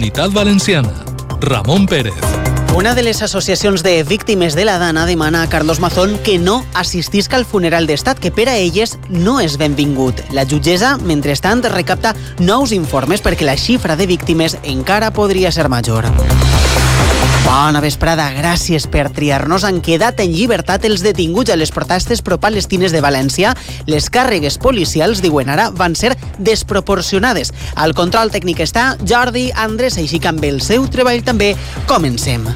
Comunitat Valenciana. Ramon Pérez. Una de les associacions de víctimes de la Dana demana a Carlos Mazón que no assistisca al funeral d'estat, que per a elles no és benvingut. La jutgessa, mentrestant, recapta nous informes perquè la xifra de víctimes encara podria ser major. Bona vesprada, gràcies per triar-nos. Han quedat en llibertat els detinguts a les protestes pro-palestines de València. Les càrregues policials, diuen ara, van ser desproporcionades. Al control tècnic està Jordi Andrés, així que amb el seu treball també comencem.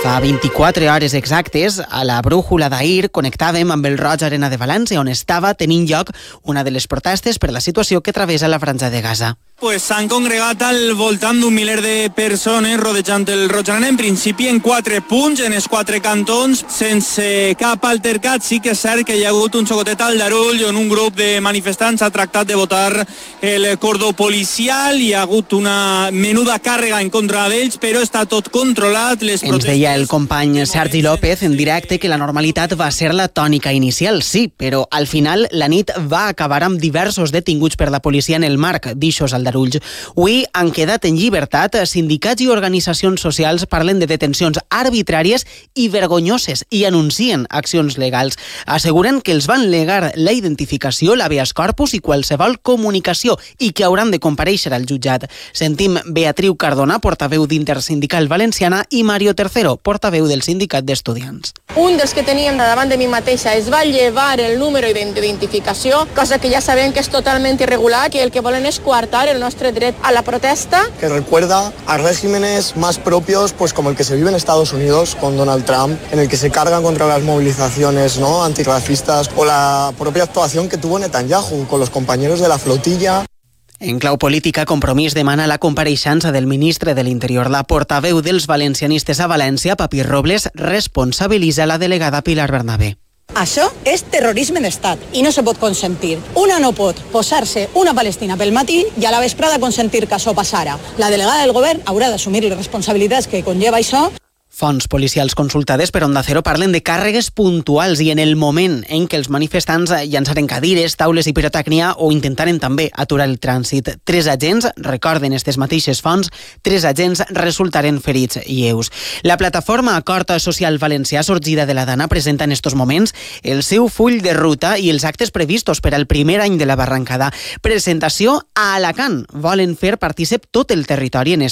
Fa 24 hores exactes, a la brújula d'ahir, connectàvem amb el Roig Arena de València, on estava tenint lloc una de les protestes per la situació que travessa la Franja de Gaza. Pues s'han congregat al voltant d'un miler de persones rodejant el Roig Arena, en principi en 4 punts, en els 4 cantons, sense cap altercat. Sí que és cert que hi ha hagut un xocotet al Darull on un grup de manifestants ha tractat de botar el cordó policial. Hi ha hagut una menuda càrrega en contra d'ells, però està tot controlat. Ens deia el company Sergi López en directe que la normalitat va ser la tònica inicial, sí, però al final la nit va acabar amb diversos detinguts per la policia en el marc d'ixos al Darulls. Avui han quedat en llibertat. Sindicats i organitzacions socials parlen de detencions arbitràries i vergonyoses i anuncien accions legals. Asseguren que els van negar la identificació, l'habeas corpus i qualsevol comunicació i que hauran de comparèixer al jutjat. Sentim Beatriu Cardona, portaveu d'Intersindical Valenciana, i Mario Tercero, portaveu del Sindicat d'Estudiants. Un dels que teníem davant de mi mateixa es va llevar el número d'identificació, cosa que ja sabem que és totalment irregular, que el que volen és coartar el nostre dret a la protesta. Que recuerda a regímenes más propios, pues como el que se vive en Estados Unidos con Donald Trump, en el que se cargan contra las movilizaciones, ¿no?, antirracistas, o la propia actuación que tuvo Netanyahu con los compañeros de la flotilla. En clau política, Compromís demana la compareixença del ministre de l'Interior. La portaveu dels valencianistes a València, Papí Robles, responsabilitza la delegada Pilar Bernabé. Això és terrorisme d'estat i no se pot consentir. Una no pot posar-se una Palestina pel matí i a la vesprada consentir que això passara. La delegada del govern haurà d'assumir les responsabilitats que conlleva això. Fonts policials consultades per Onda Cero parlen de càrregues puntuals i en el moment en què els manifestants llançaren cadires, taules i pirotècnia o intentaren també aturar el trànsit. 3 agents, recorden aquestes mateixes fonts, 3 agents resultaren ferits lleus. La plataforma Acord Social Valencià, sorgida de la Dana, presenta en estos moments el seu full de ruta i els actes previstos per al primer any de la barrancada. Presentació a Alacant. Volen fer partícip tot el territori en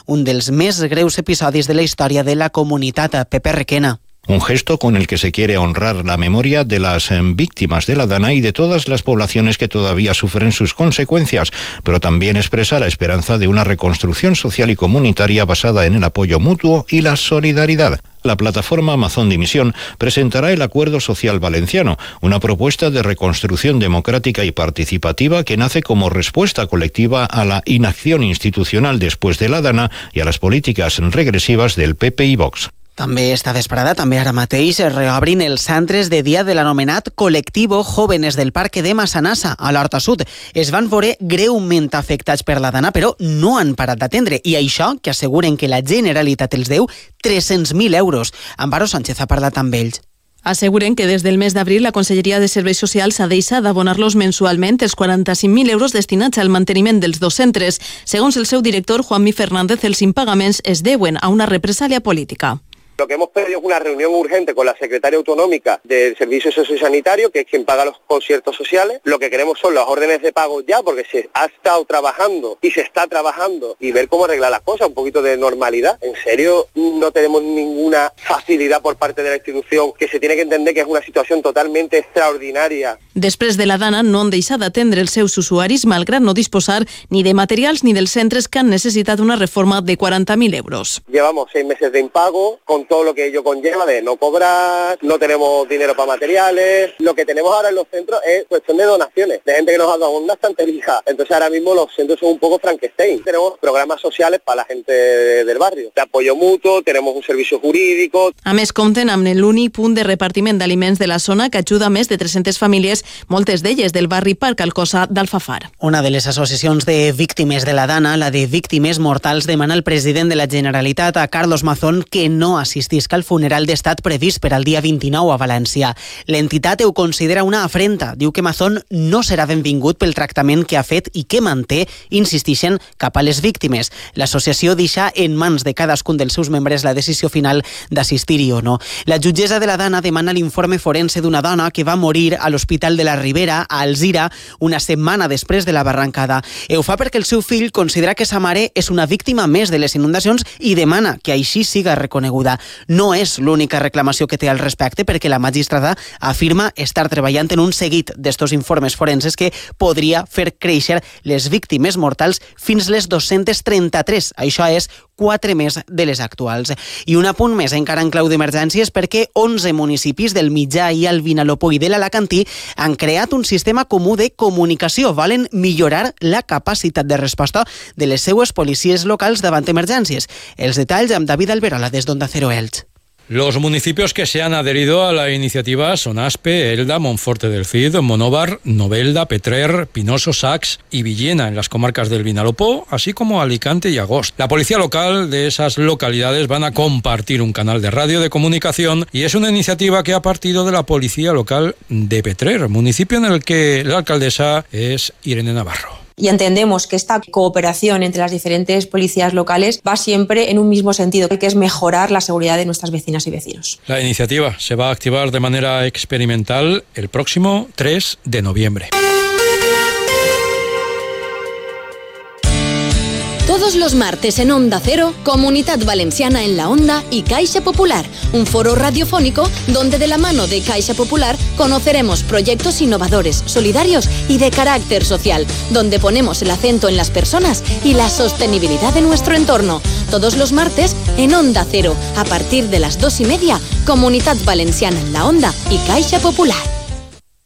un dels més greus episodis de la història de la comunidad. Pepe Requena. Un gesto con el que se quiere honrar la memoria de las víctimas de la Dana y de todas las poblaciones que todavía sufren sus consecuencias, pero también expresa la esperanza de una reconstrucción social y comunitaria basada en el apoyo mutuo y la solidaridad. La plataforma Mazón Dimisión presentará el Acuerdo Social Valenciano, una propuesta de reconstrucción democrática y participativa que nace como respuesta colectiva a la inacción institucional después de la Dana y a las políticas regresivas del PP i Vox. També esta vesprada, també ara mateix, reobrin els centres de dia de l'anomenat Colectivo Jóvenes del Parque de Massanassa, a l'Horta Sud. Es van veure greument afectats per la Dana, però no han parat d'atendre. I això, que asseguren que la Generalitat els deu 300.000 euros. Amparo Sánchez ha parlat amb ells. Asseguren que des del mes d'abril la Conselleria de Serveis Socials ha deixat d'abonar-los mensualment els 45.000 euros destinats al manteniment dels dos centres. Segons el seu director, Juanmi Fernández, els impagaments es deuen a una represàlia política. Lo que hemos pedido es una reunión urgente con la secretaria autonómica del Servicio Sociosanitario, que es quien paga los conciertos sociales. Lo que queremos son las órdenes de pago ya, porque se ha estado trabajando y se está trabajando, y ver cómo arreglar las cosas, un poquito de normalidad. En serio, no tenemos ninguna facilidad por parte de la institución, que se tiene que entender que es una situación totalmente extraordinaria. Després de la Dana no han deixat d'atendre els seus usuaris, malgrat no disposar ni de materials ni dels centres que han necessitat una reforma de 40.000 euros. Llevamos 6 meses de impago, con todo lo que ello conlleva de no cobrar, no tenemos dinero para materiales. Lo que tenemos ahora en los centros es cuestión de donaciones, de gente que nos ha dado una estantería. Entonces ahora mismo los centros son un poco Frankenstein. Tenemos programas sociales para la gente del barrio, de apoyo mutuo, tenemos un servicio jurídico. A més, compten amb l'únic punt de repartiment d'aliments de la zona que ajuda a més de 300 famílies, moltes d'elles del barri Parc Alcosa d'Alfafar. Una de les associacions de víctimes de la Dana, la de víctimes mortals, demana al president de la Generalitat, a Carlos Mazón, que no assisteixi assistisca al funeral d'estat previst per al dia 29 a València. L'entitat ho considera una afrenta. Diu que Mazón no serà benvingut pel tractament que ha fet i que manté, insistixen, cap a les víctimes. L'associació deixa en mans de cadascun dels seus membres la decisió final d'assistir-hi o no. La jutgessa de la Dana demana l'informe forense d'una dona que va morir a l'Hospital de la Ribera, a Alzira, una setmana després de la barrancada. Ho fa perquè el seu fill considera que sa mare és una víctima més de les inundacions i demana que així siga reconeguda. No és l'única reclamació que té al respecte, perquè la magistrada afirma estar treballant en un seguit d'estos informes forenses que podria fer créixer les víctimes mortals fins les 233. Això és 4 més de les actuals. I un apunt més encara en clau d'emergències, perquè 11 municipis del Mitjà i el Vinalopó i de l'Alacantí han creat un sistema comú de comunicació. Volen millorar la capacitat de resposta de les seues policies locals davant emergències. Els detalls amb David Alberola des d'Onda Cero Elx. Los municipios que se han adherido a la iniciativa son Aspe, Elda, Monforte del Cid, Monóvar, Novelda, Petrer, Pinoso, Sax y Villena en las comarcas del Vinalopó, así como Alicante y Agost. La policía local de esas localidades van a compartir un canal de radio de comunicación y es una iniciativa que ha partido de la policía local de Petrer, municipio en el que la alcaldesa es Irene Navarro. Y entendemos que esta cooperación entre las diferentes policías locales va siempre en un mismo sentido, que es mejorar la seguridad de nuestras vecinas y vecinos. La iniciativa se va a activar de manera experimental el próximo 3 de noviembre. Todos los martes en Onda Cero, Comunidad Valenciana en la Onda y Caixa Popular, un foro radiofónico donde de la mano de Caixa Popular conoceremos proyectos innovadores, solidarios y de carácter social, donde ponemos el acento en las personas y la sostenibilidad de nuestro entorno. Todos los martes en Onda Cero, a partir de las 2:30, Comunidad Valenciana en la Onda y Caixa Popular.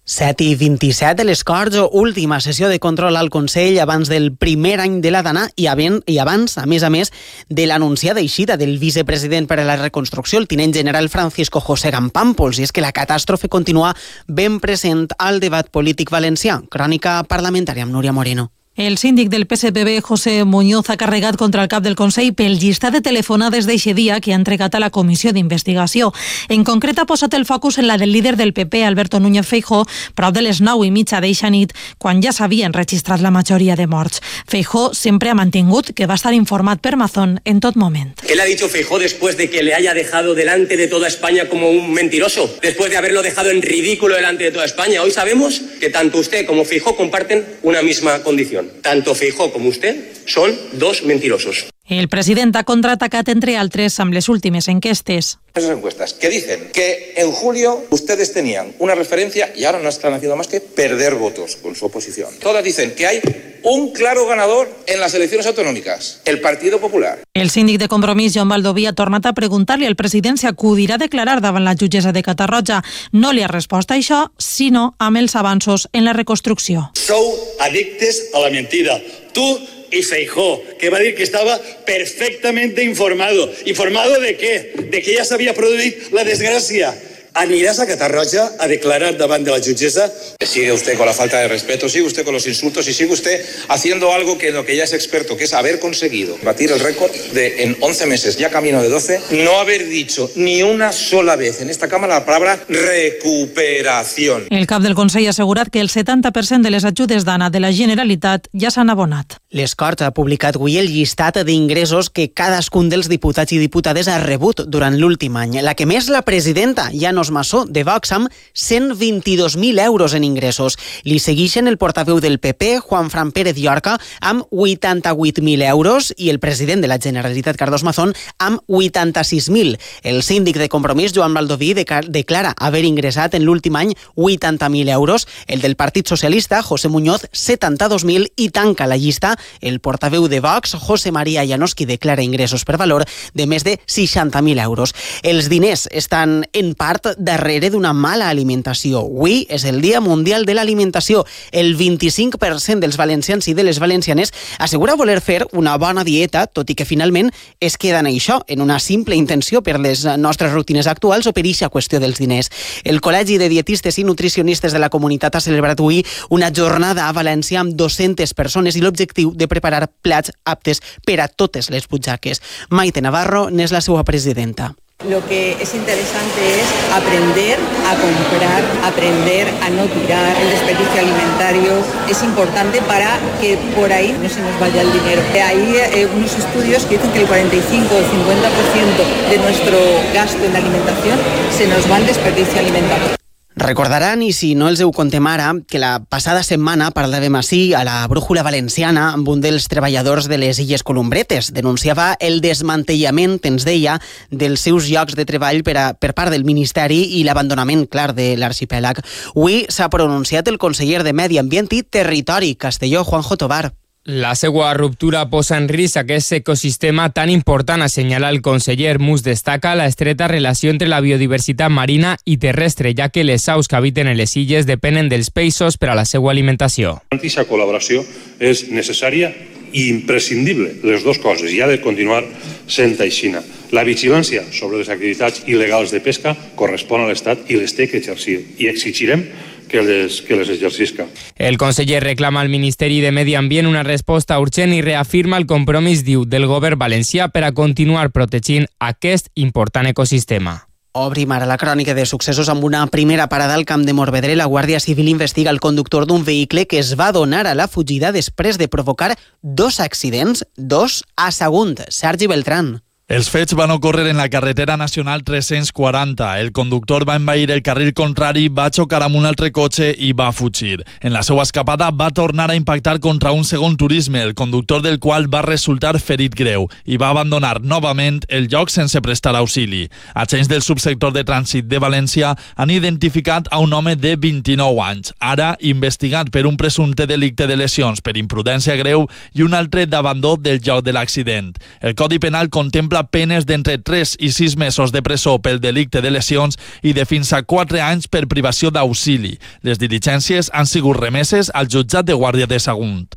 7:27 de les Corts, última sessió de control al Consell abans del primer any de la Dana i abans, a més, de l'anunciada eixida del vicepresident per a la reconstrucció, el tinent general Francisco José Campampols. I és que la catàstrofe continua ben present al debat polític valencià. Crònica parlamentària amb Núria Moreno. El síndic del PSPB, José Muñoz, ha carregat contra el cap del Consell pel llistat de telefonades d'eixe dia que ha entregat a la comissió d'investigació. En concret, ha posat el focus en la del líder del PP, Alberto Núñez Feijóo, prop de les 9:30 d'eixa nit, quan ja s'havien registrat la majoria de morts. Feijóo sempre ha mantingut que va estar informat per Mazón en tot moment. ¿Qué le ha dicho Feijóo después de que le haya dejado delante de toda España como un mentiroso? Después de haberlo dejado en ridículo delante de toda España. Hoy sabemos que tanto usted como Feijóo comparten una misma condición. Tanto Feijóo como usted son dos mentirosos. El president ha contraatacat, entre altres, amb les últimes enquestes. Esas encuestas que dicen que en julio ustedes tenían una referencia y ahora no están haciendo más que perder votos con su oposición. Todas dicen que hay un claro ganador en las elecciones autonòmiques, el Partido Popular. El síndic de Compromís, Joan Baldoví, ha tornat a preguntar-li al president si acudirà a declarar davant la jutgessa de Catarroja. No li ha respost a això, sinó amb els avanços en la reconstrucció. Sou addictes a la mentida. Tú y Feijóo, que va a decir que estaba perfectamente informado. ¿Informado de qué? De que ya se había producido la desgracia. ¿Anirás a Catarroja a declarar davant de la jutgessa? Sigue usted con la falta de respeto, sigue usted con los insultos y sigue usted haciendo algo que en lo que ya es experto, que es haber conseguido batir el récord de, en 11 meses, ya camino de 12, no haber dicho ni una sola vez en esta Cámara la palabra recuperación. El cap del Consell ha assegurat que el 70% de les ajudes d'Anna de la Generalitat ja s'han abonat. Les Corts ha publicat avui el llistat d'ingressos que cadascun dels diputats i diputades ha rebut durant l'últim any. La que més, la presidenta, Llanos Massó, de Vox, amb 122.000 euros en ingressos. Li segueixen el portaveu del PP, Juanfran Pérez Llorca, amb 88.000 euros i el president de la Generalitat, Carlos Mazón, amb 86.000. El síndic de Compromís, Joan Baldoví, declara haver ingressat en l'últim any 80.000 euros. El del Partit Socialista, José Muñoz, 72.000, i tanca la llista el portaveu de Vox, José María Llanos, qui declara ingressos per valor de més de 60.000 euros. Els diners estan en part darrere d'una mala alimentació. Avui és el Dia Mundial de l'Alimentació. El 25% dels valencians i de les valencianes assegura voler fer una bona dieta, tot i que finalment es queda en això, en una simple intenció per les nostres rutines actuals o per eixa qüestió dels diners. El Col·legi de Dietistes i Nutricionistes de la Comunitat ha celebrat avui una jornada a València amb 200 persones i l'objectiu de preparar plats aptes per a totes les butxaques. Maite Navarro n'és la seva presidenta. Lo que es interesante es aprender a comprar, aprender a no tirar. El desperdicio alimentario es importante para que por ahí no se nos vaya el dinero. Hay unos estudios que dicen que el 45 o el 50% de nuestro gasto en la alimentación se nos va al desperdicio alimentario. Recordaran, i si no els ho contem ara, que la passada setmana parlàvem ací a la Brújula Valenciana amb un dels treballadors de les Illes Columbretes. Denunciava el desmantellament, ens deia, dels seus llocs de treball per part del Ministeri i l'abandonament, clar, de l'arxipèlag. Avui s'ha pronunciat el conseller de Medi Ambient i Territori, Castelló, Juanjo Tobar. La seva ruptura posa en risc aquest ecosistema tan important, assenyala el conseller. Mus destaca la estreta relació entre la biodiversitat marina i terrestre, ja que les aus que habiten en les illes depenen dels peixos per a la seva alimentació. Aquesta col·laboració és necessària i imprescindible, les dues coses, i ha de continuar sent així. La vigilància sobre les activitats il·legals de pesca correspon a l'Estat i les té que exercir, i exigirem que les exercisca. El conseller reclama al Ministeri de Medi Ambient una resposta urgent i reafirma el compromís, diu, del govern valencià per a continuar protegint aquest important ecosistema. Obrim ara la crònica de successos amb una primera parada al Camp de Morvedre. La Guàrdia Civil investiga el conductor d'un vehicle que es va donar a la fugida després de provocar 2 accidents, 2 a Sagunt. Sergi Beltrán. Els fets van ocórrer en la carretera nacional 340. El conductor va envair el carril contrari, va xocar amb un altre cotxe i va fugir. En la seva escapada va tornar a impactar contra un segon turisme, el conductor del qual va resultar ferit greu i va abandonar novament el lloc sense prestar auxili. Agents del subsector de trànsit de València han identificat a un home de 29 anys, ara investigat per un presumpte delicte de lesions per imprudència greu i un altre d'abandó del lloc de l'accident. El Codi Penal contempla penes d'entre 3 i 6 mesos de presó pel delicte de lesions i de fins a 4 anys per privació d'auxili. Les diligències han sigut remeses al jutjat de Guàrdia de Sagunt.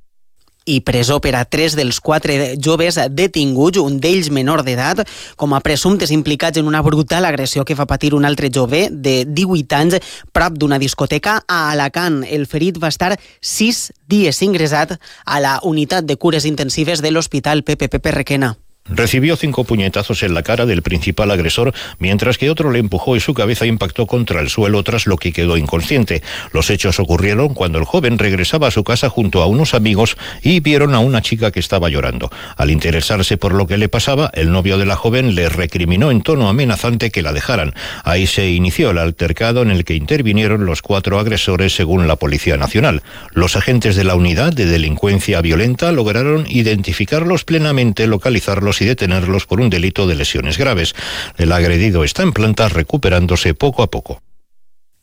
I presó per a 3 dels 4 joves detinguts, un d'ells menor d'edat, com a presumptes implicats en una brutal agressió que va patir un altre jove de 18 anys prop d'una discoteca a Alacant. El ferit va estar 6 dies ingressat a la unitat de cures intensives de l'Hospital Pepe Requena. Recibió 5 puñetazos en la cara del principal agresor, mientras que otro le empujó y su cabeza impactó contra el suelo, tras lo que quedó inconsciente. Los hechos ocurrieron cuando el joven regresaba a su casa junto a unos amigos y vieron a una chica que estaba llorando. Al interesarse por lo que le pasaba, el novio de la joven le recriminó en tono amenazante que la dejaran. Ahí se inició el altercado en el que intervinieron los 4 agresores, según la Policía Nacional. Los agentes de la Unidad de Delincuencia Violenta lograron identificarlos plenamente, localizarlos y detenerlos por un delito de lesiones graves. El agredido está en planta recuperándose poco a poco.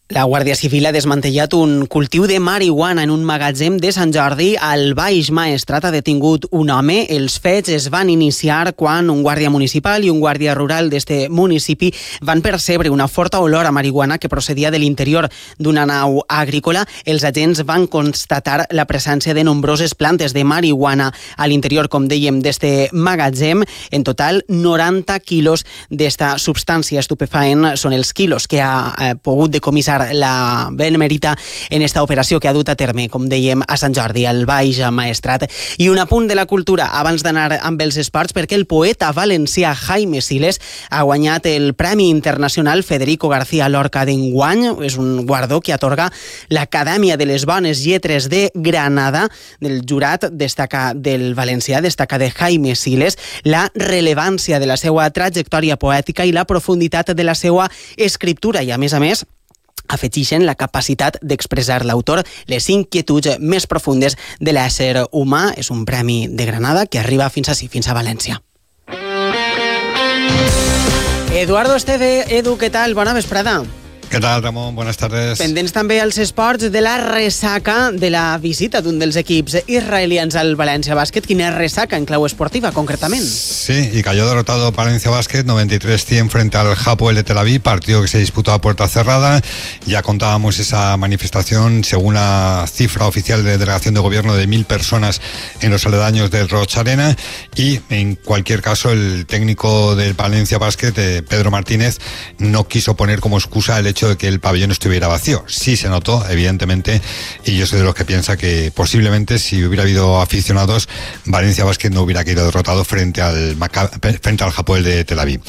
La Guàrdia Civil ha desmantellat un cultiu de marihuana en un magatzem de Sant Jordi. Al Baix Maestrat ha detingut un home. Els fets es van iniciar quan un guàrdia municipal i un guàrdia rural d'este municipi van percebre una forta olor a marihuana que procedia de l'interior d'una nau agrícola. Els agents van constatar la presència de nombroses plantes de marihuana a l'interior, com dèiem, d'este magatzem. En total, 90 quilos d'esta substància estupefaent són els quilos que ha pogut decomissar la Benemèrita en esta operació que ha dut a terme, com dèiem, a Sant Jordi, al Baix Maestrat. I un apunt de la cultura abans d'anar amb els esports, perquè el poeta valencià Jaime Siles ha guanyat el Premi Internacional Federico García Lorca d'enguany. És un guardó que atorga l'Acadèmia de les Bones Lletres de Granada. Del jurat destaca del valencià, destaca de Jaime Siles la rellevància de la seva trajectòria poètica i la profunditat de la seva escriptura, i a més afegeixen la capacitat d'expressar l'autor les inquietuds més profundes de l'ésser humà. És un premi de Granada que arriba fins a València. Eduardo Esteve, Edu, què tal? Bona vesprada. ¿Qué tal, Ramón? Buenas tardes. Pendents també als esports de la ressaca de la visita d'un dels equips israelians al Valencia Basket. Quina ressaca en clau esportiva, concretament? Sí, y cayó derrotado Valencia Basket 93-100 frente al Hapoel de Tel Aviv, partido que se disputó a puerta cerrada. Ya contábamos esa manifestación, según la cifra oficial de delegación de gobierno, de 1.000 personas en los aledaños del Roch Arena. Y en cualquier caso, el técnico del Valencia Basket, Pedro Martínez, no quiso poner como excusa el hecho hecho de que el pabellón estuviera vacío. Sí se notó, evidentemente, y yo soy de los que piensa que posiblemente si hubiera habido aficionados, Valencia Basket no hubiera caído derrotado frente al Hapoel de Tel Aviv.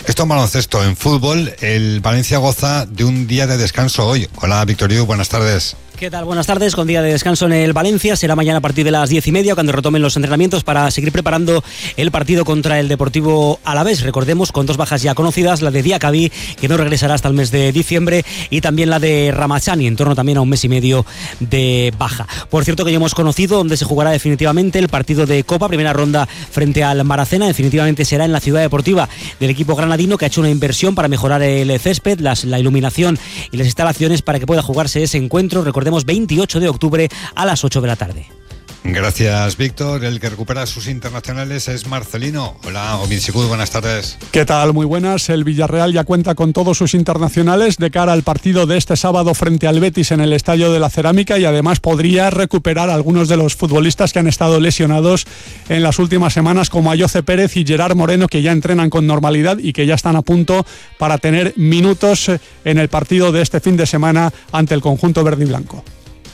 Esto en baloncesto. En fútbol, el Valencia goza de un día de descanso hoy. Hola, Víctor Yu, buenas tardes. ¿Qué tal? Buenas tardes. Con día de descanso en el Valencia. Será mañana a partir de las 10:30 cuando retomen los entrenamientos para seguir preparando el partido contra el Deportivo Alavés. Recordemos, con 2 bajas ya conocidas, la de Diakabi, que no regresará hasta el mes de diciembre, y también la de Ramachani, en torno también a un mes y medio de baja. Por cierto, que ya hemos conocido dónde se jugará definitivamente el partido de Copa, primera ronda frente al Maracena. Definitivamente será en la ciudad deportiva del equipo granadino, que ha hecho una inversión para mejorar el césped, la iluminación y las instalaciones para que pueda jugarse ese encuentro. Recordemos, 28 de octubre a las 8 de la tarde. Gracias, Víctor. El que recupera sus internacionales es Marcelino. Hola, Omid Sikud, buenas tardes. ¿Qué tal? Muy buenas. El Villarreal ya cuenta con todos sus internacionales de cara al partido de este sábado frente al Betis en el Estadio de la Cerámica, y además podría recuperar algunos de los futbolistas que han estado lesionados en las últimas semanas, como Ayoce Pérez y Gerard Moreno, que ya entrenan con normalidad y que ya están a punto para tener minutos en el partido de este fin de semana ante el conjunto verde y blanco.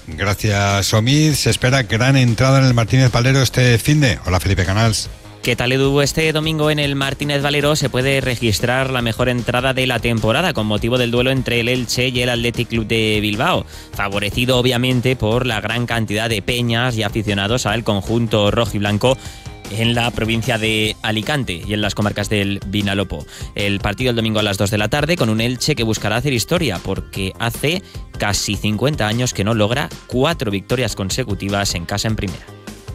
Gracias, Omid. Se espera gran entrada en el Martínez Valero este finde. Hola, Felipe Canals. ¿Qué tal, Edu? Este domingo en el Martínez Valero se puede registrar la mejor entrada de la temporada con motivo del duelo entre el Elche y el Athletic Club de Bilbao, favorecido obviamente por la gran cantidad de peñas y aficionados al conjunto rojiblanco en la provincia de Alicante y en las comarcas del Vinalopó. El partido el domingo a las 2 de la tarde con un Elche que buscará hacer historia porque hace casi 50 años que no logra 4 victorias consecutivas en casa en primera.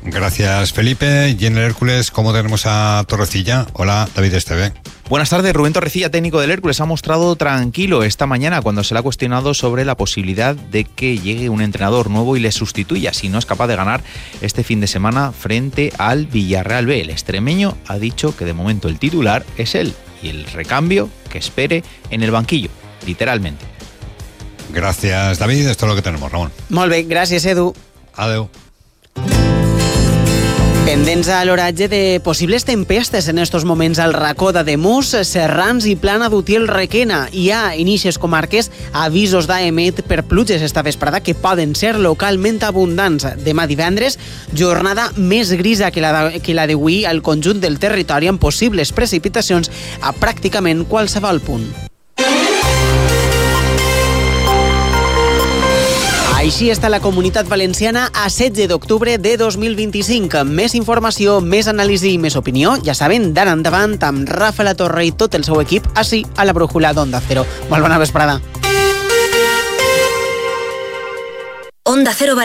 Gracias, Felipe. Y en el Hércules, ¿cómo tenemos a Torrecilla? Hola, David Esteve. Buenas tardes. Rubén Torrecilla, técnico del Hércules, ha mostrado tranquilo esta mañana cuando se le ha cuestionado sobre la posibilidad de que llegue un entrenador nuevo y le sustituya si no es capaz de ganar este fin de semana frente al Villarreal B. El extremeño ha dicho que de momento el titular es él y el recambio que espere en el banquillo, literalmente. Gracias, David. Esto es lo que tenemos, Ramon. Molt bé, gràcies, Edu. Adeu. Pendents a l'oratge de possibles tempestes en estos moments al racó d'Ademús, Serrans i Plana d'Utiel-Requena. Hi ha en ixes comarques avisos d'AEMET per pluges esta vesprada que poden ser localment abundants. Demà divendres, jornada més grisa que la d'avui al conjunt del territori, amb possibles precipitacions a pràcticament qualsevol punt. Així està la Comunitat Valenciana a 16 d'octubre de 2025. Més informació, més anàlisi i més opinió, ja saben, d'ara endavant amb Rafa La Torre i tot el seu equip, així a la brújula d'Onda Cero. Molt bona vesprada. Onda Cero